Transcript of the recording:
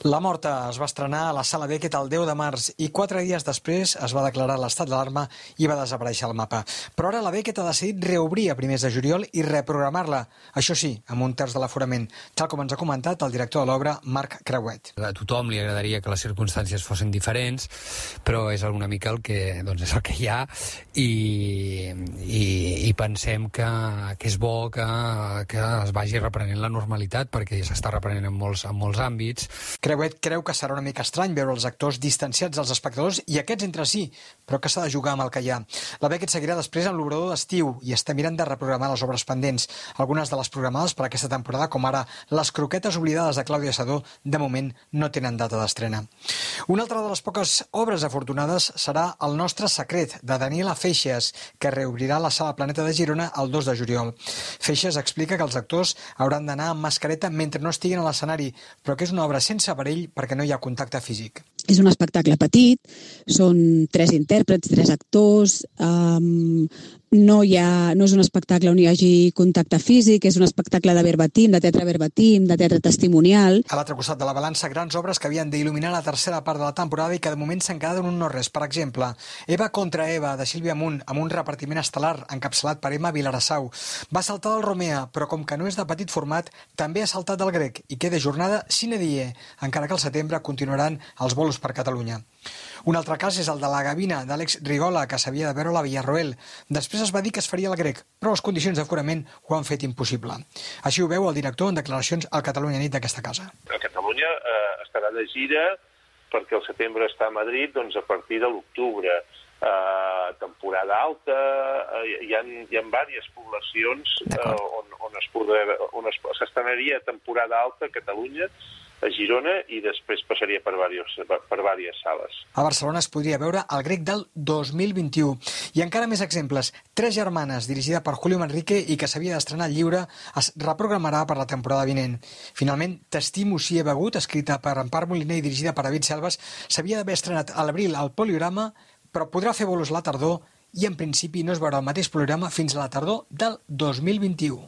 La Morta es va estrenar a la Sala Beckett el 10 de març i 4 dies després es va declarar l'estat d'alarma i va desaparèixer el mapa. Però ara la Beckett ha decidit reobrir a primers de juliol i reprogramar-la, això sí, amb un terç de l'aforament, tal com ens ha comentat el director de l'obra, Marc Creuet. A tothom li agradaria que les circumstàncies fossin diferents, però és una mica el que, és el que hi ha i pensem que és bo que es vagi reprenent la normalitat perquè ja s'està reprenent en molts àmbits. Creuet creu que serà una mica estrany veure els actors distanciats dels espectadors i aquests entre si, però que s'ha de jugar amb el que hi ha. La Beckett seguirà després amb l'obrador d'estiu i està mirant de reprogramar les obres pendents. Algunes de les programades per aquesta temporada, com ara Les croquetes oblidades de Clàudia Sedó, de moment no tenen data d'estrena. Una altra de les poques obres afortunades serà El nostre secret, de Daniela Feixes, que reobrirà la Sala Planeta de Girona el 2 de juliol. Feixes explica que els actors hauran d'anar amb mascareta mentre no estiguin a l'escenari, però que és una obra sense aparell perquè no hi ha contacte físic. És un espectacle petit, són 3 intèrprets, 3 actors, no és un espectacle on hi hagi contacte físic, és un espectacle de verbatim, de teatre testimonial. A l'altre costat de la balança, grans obres que havien d'il·luminar la tercera part de la temporada i que de moment s'han quedat en un no-res. Per exemple, Eva contra Eva, de Sílvia Munt, amb un repartiment estel·lar encapçalat per Emma Vilarassau. Va saltar del Romea, però com que no és de petit format, també ha saltat del grec i queda jornada sine die, encara que al setembre continuaran els bolos per Catalunya. Un altre cas és el de La Gavina, d'Àlex Rigola, que s'havia de veure a la Villarroel. Després es va dir que es faria el grec, però les condicions d'aforament ho han fet impossible. Així ho veu el director en declaracions al Catalunya Nit d'aquesta casa. A Catalunya estarà de gira perquè el setembre està a Madrid a partir de l'octubre. Temporada alta, hi ha diverses poblacions on s'estrenaria temporada alta a Catalunya, a Girona, i després passaria per diverses sales. A Barcelona es podria veure el grec del 2021. I encara més exemples. 3 germanes, dirigida per Julio Manrique i que s'havia d'estrenar lliure, es reprogramarà per la temporada vinent. Finalment, T'estimo si he begut, escrita per Empar Moliner i dirigida per David Selves, s'havia d'haver estrenat a l'abril al Poliorama, però podrà fer bolos a la tardor i en principi no es veurà el mateix Poliorama fins a la tardor del 2021.